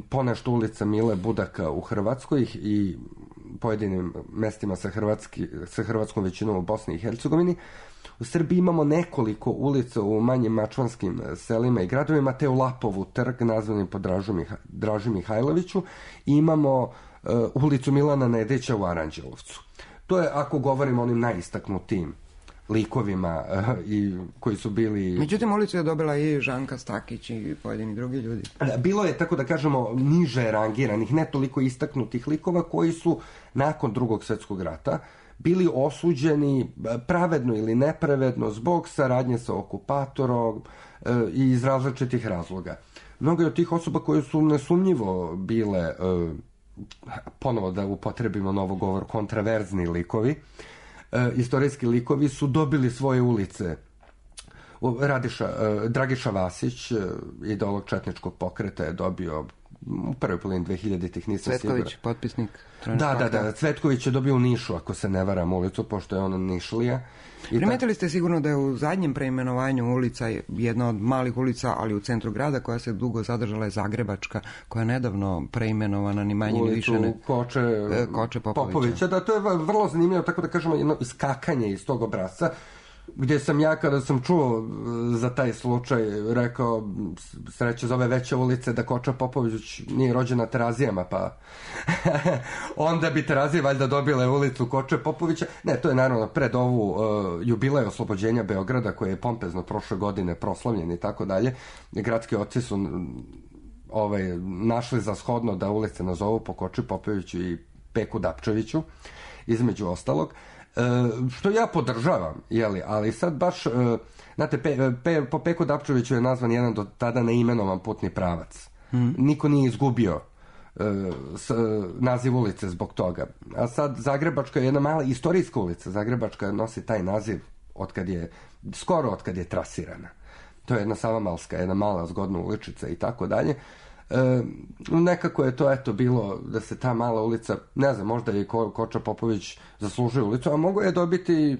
ponešto ulica Mile Budaka u Hrvatskoj i pojedinim mestima sa hrvatskom većinom u Bosni i Hercegovini. U Srbiji imamo nekoliko ulica u manjim mačvanskim selima i gradovima, te u Lapovu trg nazvanim po Draži Mihajloviću, i imamo ulicu Milana Nedića u Aranđelovcu. To je, ako govorimo o onim najistaknutijim likovima koji su bili... Međutim, ulicu je dobila i Žanka Stakić i pojedini drugi ljudi. Bilo je, tako da kažemo, niže rangiranih, ne toliko istaknutih likova koji su nakon Drugog svjetskog rata bili osuđeni pravedno ili nepravedno zbog saradnje sa okupatorom i iz različitih razloga. Mnogo od tih osoba koje su nesumnjivo bile, ponovo da upotrebimo novo govor, kontraverzni likovi, istorijski likovi, su dobili svoje ulice. Dragiša Vasić, ideolog četničkog pokreta, je dobio u prvoj polovini 2000-ih, nisam siguran. Cvetković, potpisnik. Da, Cvetković je dobio u Nišu, ako se ne varam, ulicu, pošto je ona Nišlija. Primetili ste sigurno da je u zadnjem preimenovanju ulica jedna od malih ulica, ali u centru grada, koja se dugo zadržala, je Zagrebačka, koja je nedavno preimenovana, ni manje ni više. Koče Popovića. Da, to je vrlo zanimljivo, tako da kažemo, jedno iskakanje iz tog obrasca, gdje sam ja, kada sam čuo za taj slučaj, rekao, sreće za ove veće ulice, da Koča Popović nije rođen na Terazijama, pa onda bi Terazije valjda dobile ulicu Koče Popovića. Ne, to je naravno pred ovu jubilej oslobođenja Beograda, koji je pompezno prošle godine proslavljen i tako dalje. Gradski oci su našli za shodno da ulice nazovu po Koči Popoviću i Peku Dapčeviću, između ostalog. Što ja podržavam, ali sad baš, znate, po Peku Dapčeviću je nazvan jedan do tada neimenovan putni pravac. Niko nije izgubio naziv ulice zbog toga. A sad Zagrebačka je jedna mala istorijska ulica. Zagrebačka nosi taj naziv skoro od kad je trasirana. To je jedna Savamalska, jedna mala zgodna uličica i tako dalje. Nekako je to eto bilo da se ta mala ulica, ne znam, možda je Koča Popović zaslužio ulicu, a mogo je dobiti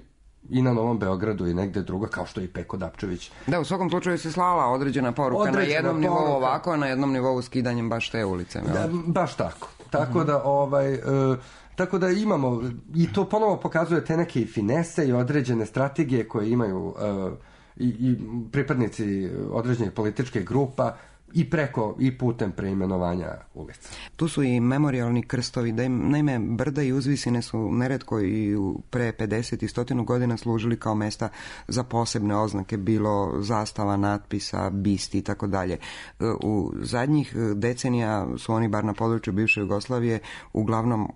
i na Novom Beogradu i negde druga, kao što je i Peko Dapčević. Da, u svakom slučaju se slala određena poruka na jednom nivou ovako, a na jednom nivou skidanjem baš te ulice. Da, baš tako. Tako da imamo, i to ponovo pokazuje te neke finese i određene strategije koje imaju i pripadnici određenih političkih grupa i putem preimenovanja ulica. Tu su i memorijalni krstovi. Naime, brda i uzvisine su neretko i pre 50 i 100 godina služili kao mesta za posebne oznake, bilo zastava, natpisa, bisti i tako dalje. U zadnjih decenija su oni, bar na području bivše Jugoslavije, uglavnom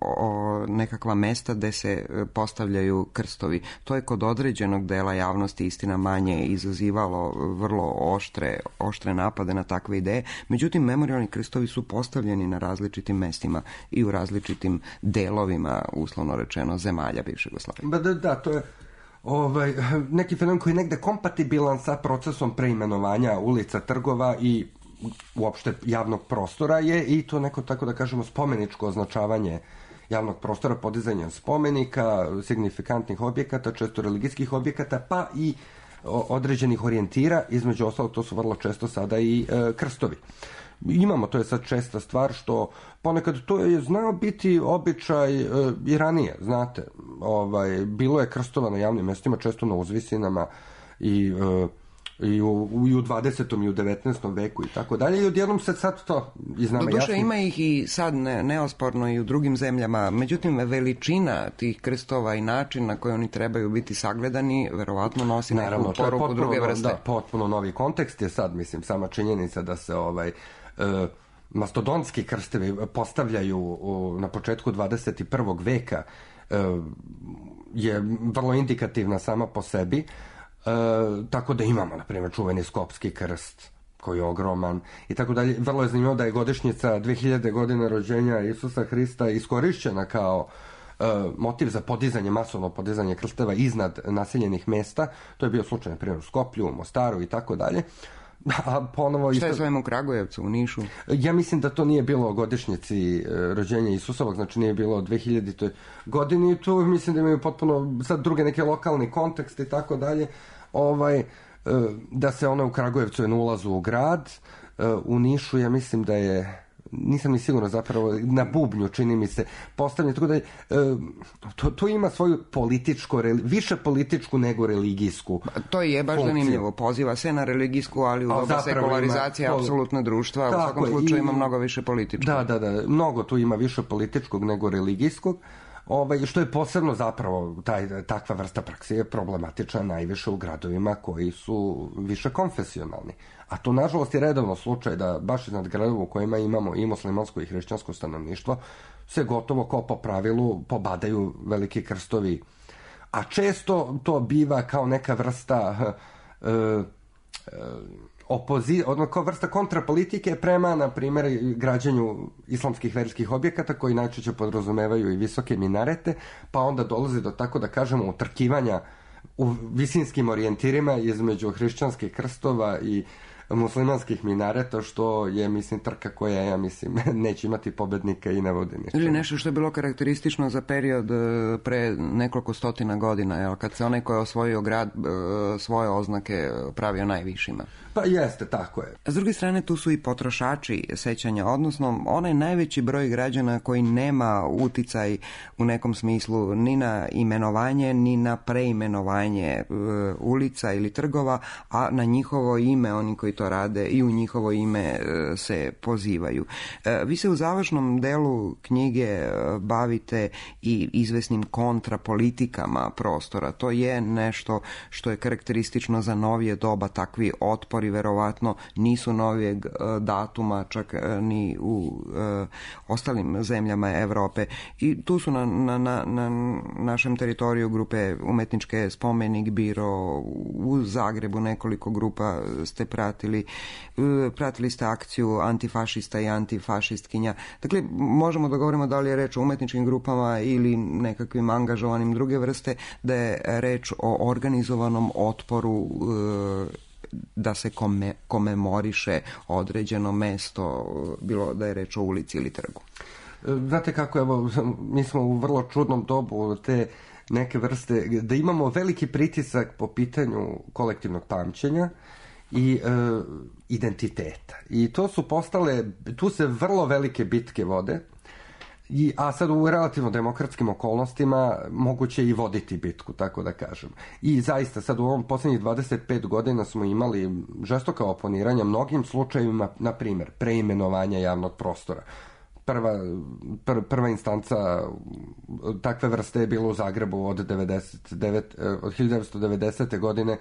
nekakva mesta gde se postavljaju krstovi. To je kod određenog dela javnosti, istina manje, izazivalo vrlo oštre napade na takve ideje. Međutim, memorijalni krstovi su postavljeni na različitim mestima i u različitim delovima, uslovno rečeno, zemalja bivše Jugoslavije. Da, to je neki fenomen koji je negde kompatibilan sa procesom preimenovanja ulica, trgova i uopšte javnog prostora je i to neko, tako da kažemo, spomeničko označavanje javnog prostora, podizanje spomenika, signifikantnih objekata, često religijskih objekata, pa i određenih orijentira, između ostalog to su vrlo često sada i krstovi. Imamo, to je sad česta stvar, što ponekad to je znao biti običaj i ranije, znate, bilo je krstova na javnim mestima, često na uzvisinama i u 20. i u 19. veku i tako dalje, i odjednom se sad to iz nama jasno. Doduše ima ih i sad neosporno i u drugim zemljama, međutim veličina tih krstova i način na koji oni trebaju biti sagledani verovatno nosi neku poruku druge vrste. Da, potpuno novi kontekst je sad, mislim, sama činjenica da se mastodontski krstevi postavljaju na početku 21. veka je vrlo indikativna sama po sebi. Tako da imamo, na primjer, čuveni Skopski krst koji je ogroman i tako dalje. Vrlo je zanimljivo da je godišnjica 2000 godine rođenja Isusa Hrista iskorišćena kao motiv za podizanje, masovno podizanje krsteva iznad naseljenih mesta. To je bio slučaj, na primjer, u Skoplju, u Mostaru i tako dalje. A ponovo šta je s ovim u Kragujevcu, u Nišu? Ja mislim da to nije bilo o godišnjici rođenja Isusovog, znači nije bilo 2000. godini i tu mislim da imaju potpuno sad druge neke lokalni kontekst i tako dalje. Da se ona u Kragujevcu je na ulazu u grad, u Nišu ja mislim da je, nisam ni sigurno zapravo, na bubnju čini mi se postavljeno, tako da to ima svoju više političku nego religijsku to je baš funkciju. Zanimljivo, poziva se na religijsku, ali u doba sekularizacije apsolutno društva, u svakom slučaju ima mnogo više političkog. Da, mnogo tu ima više političkog nego religijskog. Što je posebno zapravo takva vrsta prakse je problematična najviše u gradovima koji su više konfesionalni. A to nažalost je redovno slučaj da baš iznad gradova u kojima imamo i muslimansko i hrišćansko stanovništvo se gotovo kao po pravilu pobadaju veliki krstovi. A često to biva kao neka vrsta kao vrsta kontrapolitike prema, na primjer, građenju islamskih verskih objekata koji najčešće podrazumevaju i visoke minarete, pa onda dolazi do, tako da kažemo, utrkivanja u visinskim orijentirima između hrišćanskih krstova i muslimanskih minareta, što je, mislim, trka koja, ja mislim, neće imati pobednika i ne vodi ničemu. Ili nešto što je bilo karakteristično za period pre nekoliko stotina godina, kad se onaj ko je osvojio grad svoje oznake pravio najvišima. Pa jeste, tako je. S druge strane, tu su i potrošači sećanja, odnosno onaj najveći broj građana koji nema uticaj u nekom smislu ni na imenovanje, ni na preimenovanje ulica ili trgova, a na njihovo ime oni koji to rade i u njihovo ime se pozivaju. Vi se u završnom delu knjige bavite i izvesnim kontrapolitikama prostora. To je nešto što je karakteristično za novije doba, takvi otpori verovatno nisu novijeg datuma, čak ni u ostalim zemljama Evrope. I tu su na našem teritoriju grupe umetničke Spomenik, Biro, u Zagrebu nekoliko grupa ste pratili ste akciju antifašista i antifašistkinja. Dakle, možemo da govorimo da li je reč o umetničkim grupama ili nekakvim angažovanim druge vrste, da je reč o organizovanom otporu da se komemoriše određeno mesto, bilo da je reč o ulici ili trgu? Znate kako, evo, mi smo u vrlo čudnom dobu te neke vrste, da imamo veliki pritisak po pitanju kolektivnog pamćenja i identiteta. I to su postale, tu se vrlo velike bitke vode, a sad u relativno demokratskim okolnostima moguće i voditi bitku, tako da kažem. I zaista sad u ovom posljednjih 25 godina smo imali žestoka oponiranja mnogim slučajevima, na primjer, preimenovanja javnog prostora. Prva instanca takve vrste je bila u Zagrebu od 1990. godine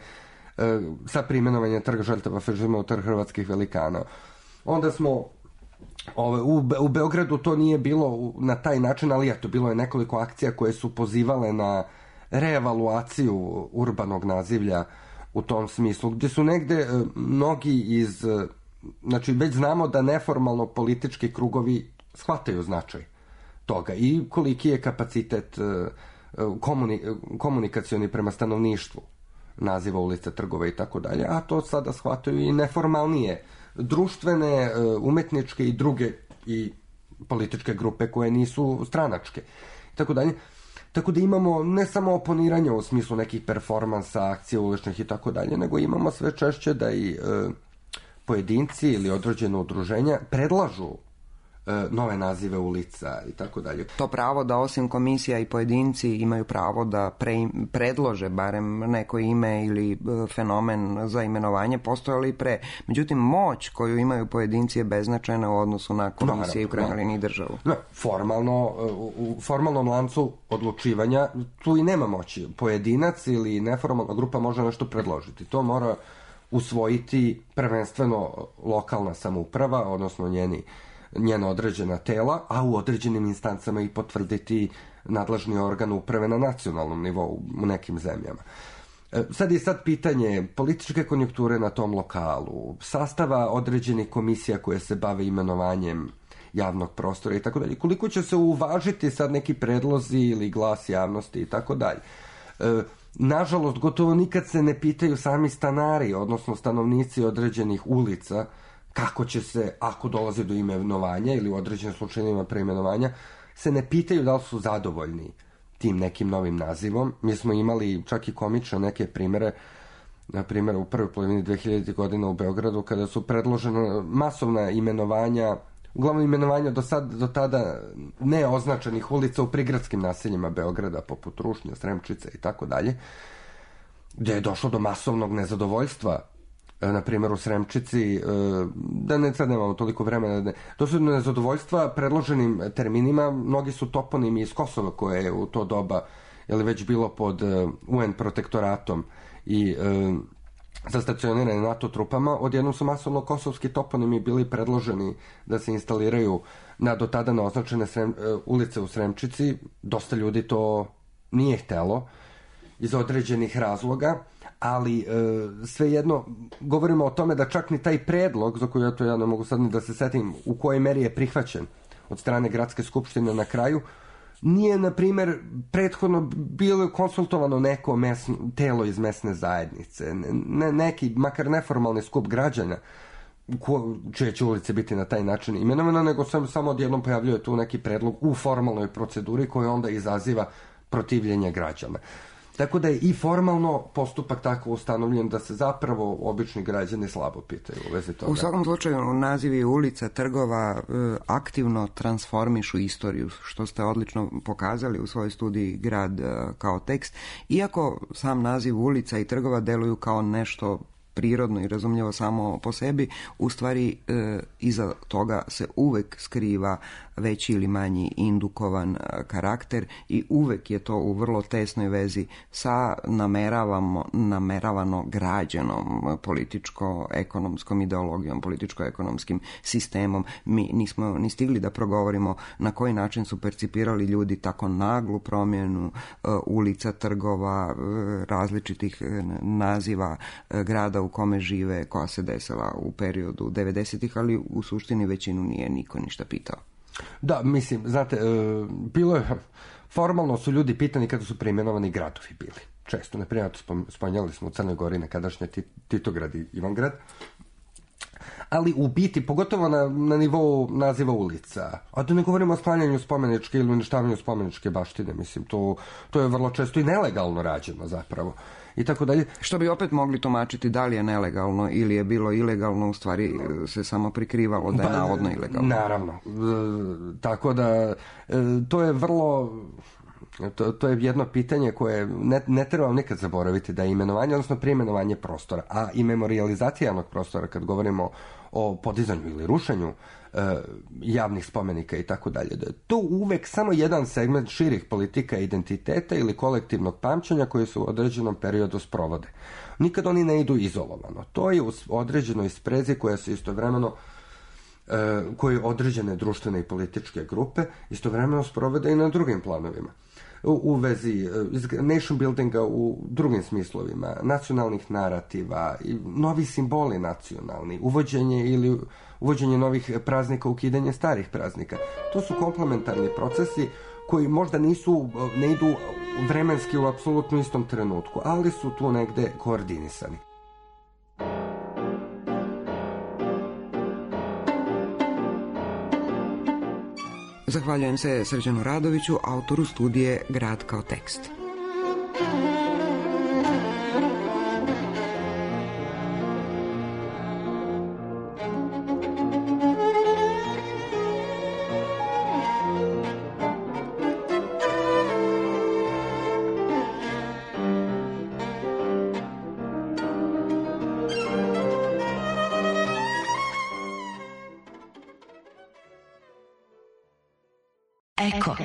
sa preimenovanjem trga žrtava fašizma u trg hrvatskih velikana. Onda smo u Beogradu to nije bilo na taj način, ali eto, bilo je nekoliko akcija koje su pozivale na reevaluaciju urbanog nazivlja u tom smislu, gdje su negde mnogi znači već znamo da neformalno politički krugovi shvataju značaj toga i koliki je kapacitet komunikacioni prema stanovništvu naziva ulica, trgova i tako dalje, a to sada shvataju i neformalnije društvene, umetničke i druge i političke grupe koje nisu stranačke. Tako dalje. Tako da imamo ne samo oponiranje u smislu nekih performansa, akcija uličnih i tako dalje, nego imamo sve češće da i pojedinci ili određene udruženja predlažu nove nazive ulica i tako dalje. To pravo da osim komisija i pojedinci imaju pravo da predlože barem neko ime ili fenomen za imenovanje postojalo i pre. Međutim, moć koju imaju pojedinci je beznačajna u odnosu na komisije i u krajnjoj liniji državu. U formalnom lancu odlučivanja tu i nema moći. Pojedinac ili neformalna grupa može nešto predložiti. To mora usvojiti prvenstveno lokalna samouprava, odnosno njena određena tela, a u određenim instancama i potvrditi nadležni organ uprave na nacionalnom nivou u nekim zemljama. Sad je pitanje političke konjunkture na tom lokalu, sastava određenih komisija koje se bave imenovanjem javnog prostora i tako dalje. Koliko će se uvažiti sad neki predlozi ili glas javnosti i tako dalje. Nažalost, gotovo nikad se ne pitaju sami stanari, odnosno stanovnici određenih ulica, kako će se, ako dolazi do imenovanja ili u određenim slučajevima preimenovanja, se ne pitaju da li su zadovoljni tim nekim novim nazivom. Mi smo imali čak i komične neke primere, na primjer u prvoj polovini 2000. godina u Beogradu, kada su predložena masovna imenovanja, uglavnom imenovanja do tada neoznačenih ulica u prigradskim naseljima Beograda, poput Rušnja, Sremčice i tako dalje, gdje je došlo do masovnog nezadovoljstva. Na primjer u Sremčici, sad nemamo toliko vremena, došlo do nezadovoljstva predloženim terminima. Mnogi su toponimi iz Kosova, koje je u to doba već bilo pod UN protektoratom i zastacionirane NATO trupama. Odjednom su masovno kosovski toponimi bili predloženi da se instaliraju na do tada neoznačene ulice u Sremčici. Dosta ljudi to nije htelo iz određenih razloga, ali svejedno govorimo o tome da čak ni taj predlog, za koju ja ne mogu sad ni da se setim u kojoj meri je prihvaćen od strane gradske skupštine na kraju, nije, na primjer, prethodno bilo konsultovano neko telo iz mesne zajednice, neki, makar neformalni skup građana, čije će ulice biti na taj način imenovano, nego samo odjednom pojavljuje tu neki predlog u formalnoj proceduri koji onda izaziva protivljenje građana. Tako da je i formalno postupak tako ustanovljen da se zapravo obični građani slabo pitaju u vezi toga. U svakom slučaju nazivi ulica, trgova aktivno transformišu istoriju, što ste odlično pokazali u svojoj studiji Grad kao tekst. Iako sam naziv ulica i trgova deluju kao nešto prirodno i razumljivo samo po sebi, u stvari iza toga se uvek skriva veći ili manji indukovan karakter i uvek je to u vrlo tesnoj vezi sa nameravano građenom političko-ekonomskom ideologijom, političko-ekonomskim sistemom. Mi nismo ni stigli da progovorimo na koji način su percipirali ljudi tako naglu promjenu ulica, trgova, različitih naziva grada u kome žive, koja se desila u periodu 90-ih, ali u suštini većinu nije niko ništa pitao. Da, mislim, znate, bilo je, formalno su ljudi pitani kada su preimenovani gradovi bili. često. Na primjer, spomenuli smo u Crnoj Gori nekadašnje Titograd i Ivangrad, ali u biti, pogotovo na nivou naziva ulica, a da ne govorimo o sklanjanju spomeničke ili uništavanju spomeničke baštine, mislim, to je vrlo često i nelegalno rađeno zapravo. I tako dalje. Što bi opet mogli tumačiti da li je nelegalno ili je bilo ilegalno, u stvari se samo prikrivalo da je navodno ilegalno. Naravno. Tako da to je vrlo... To je jedno pitanje koje ne treba nikad zaboraviti, da je imenovanje, odnosno preimenovanje prostora, a i memorijalizacija javnog prostora, kad govorimo o podizanju ili rušenju javnih spomenika i tako dalje, da je to uvek samo jedan segment širih politika identiteta ili kolektivnog pamćenja koji se u određenom periodu sprovode. Nikad oni ne idu izolovano. To je u određenoj sprezi koja se istovremeno koje određene društvene i političke grupe istovremeno sprovode i na drugim planovima. U vezi nation buildinga u drugim smislovima, nacionalnih narativa, novi simboli nacionalni, uvođenje novih praznika, ukidanje starih praznika. To su komplementarni procesi koji možda ne idu vremenski u apsolutno istom trenutku, ali su tu negde koordinisani. Zahvaljujem se Srđanu Radoviću, autoru studije Grad kao tekst. Eko.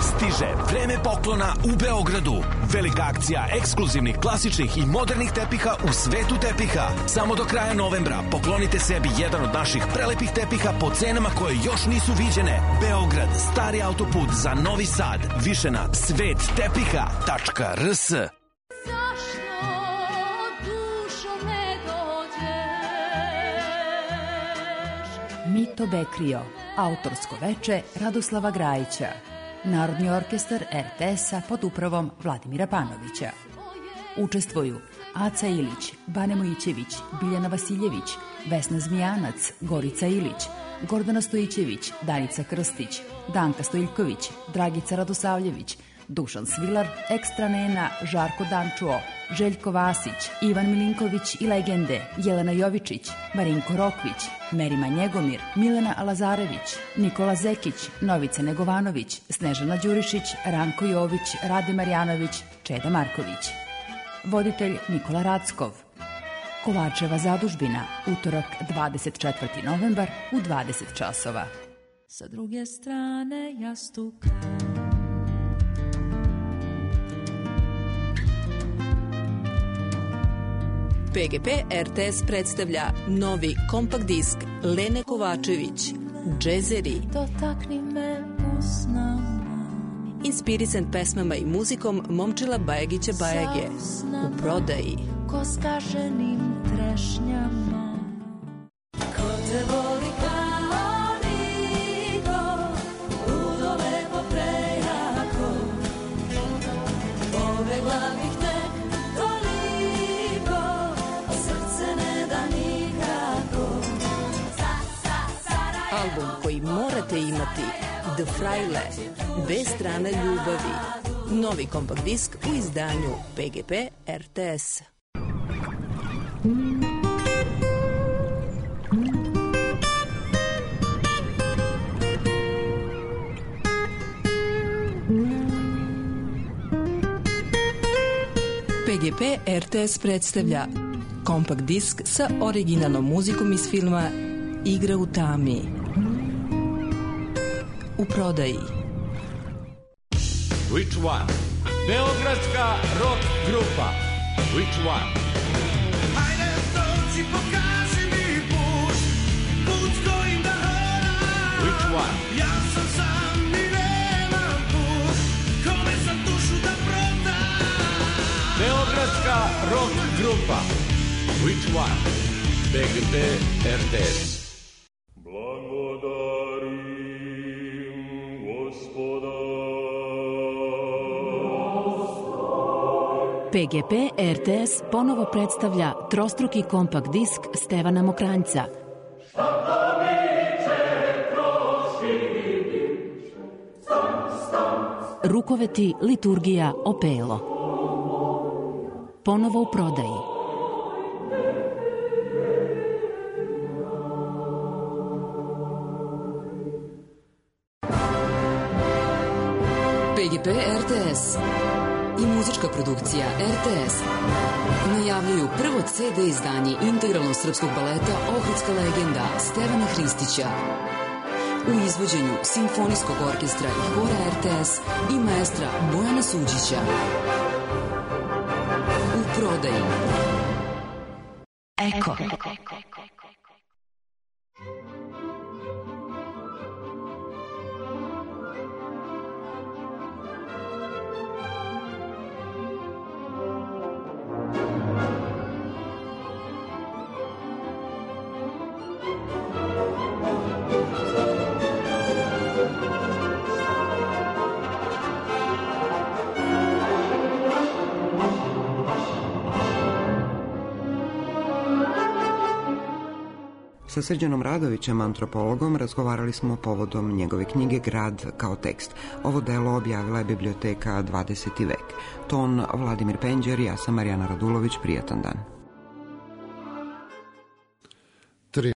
Stiže vreme poklona u Beogradu. Velika akcija ekskluzivnih, klasičnih i modernih tepiha u svetu tepiha. Samo do kraja novembra poklonite sebi jedan od naših prelepih tepiha po cenama koje još nisu viđene. Beograd, stari autoput za Novi Sad. Više na svettepiha.rs. Mito Bekrio, autorsko veče Radoslava Grajića, Narodni orkestar RTS-a pod upravom Vladimira Panovića. Učestvuju Aca Ilić, Bane Mojićević, Biljana Vasiljević, Vesna Zmijanac, Gorica Ilić, Gordana Stojićević, Danica Krstić, Danka Stojiljković, Dragica Radosavljević, Dušan Svilar, Ekstra Nena, Žarko Dančuo, Željko Vasić, Ivan Milinković i legende, Jelena Jovičić, Marinko Rokvić, Merima Njegomir, Milena Lazarević, Nikola Zekić, Novica Negovanović, Snežana Đurišić, Ranko Jović, Rade Marjanović, Čeda Marković. Voditelj Nikola Rackov. Kovačeva zadužbina, utorak 24. novembar u 20 časova. Sa druge strane jastuka PGP RTS predstavlja novi kompakt disk Lene Kovačević, Džezeri. Dotakni me usnama. Inspirisan pesmama i muzikom Momčila Bajagića Bajage. U prodaji. Ko skaženim trešnjama. Ko te voli kao niko, ludo lepo prejako. Pobegla bih te toliko, a srce ne da nikako. Album koji morate imati, The Fraile, bez strane ljubavi. Novi kompakt disk u izdanju PGP RTS. PGP RTS predstavlja kompakt disk sa originalnom muzikom iz filma Igra u tami. U prodaji. Which one? Beogradska rock grupa. Which one? Hajde dođi, pokaži mi put, put kojim da hodam. Which one? Ja sam sam i nemam put, kome sam dušu da prodam. Beogradska rock grupa. Which one? BGP RTS. Blagodarim Gospoda. PGP RTS ponovo predstavlja trostruki kompakt disk Stevana Mokranjca. Rukoveti liturgija Opelo. Ponovo u prodaji. PGP RTS i muzička produkcija RTS najavljuju prvo CD izdanje integralnog srpskog baleta Ohridska legenda Stevana Hristića u izvođenju Simfonijskog orkestra i hora RTS i maestra Bojana Suđića. U prodaji. Eko. Sa Srđanom Radovićem, antropologom, razgovarali smo povodom njegove knjige Grad kao tekst. Ovo delo objavila je biblioteka 20. vek. Ton Vladimir Penđer, ja sam Marijana Radulović, prijatan dan.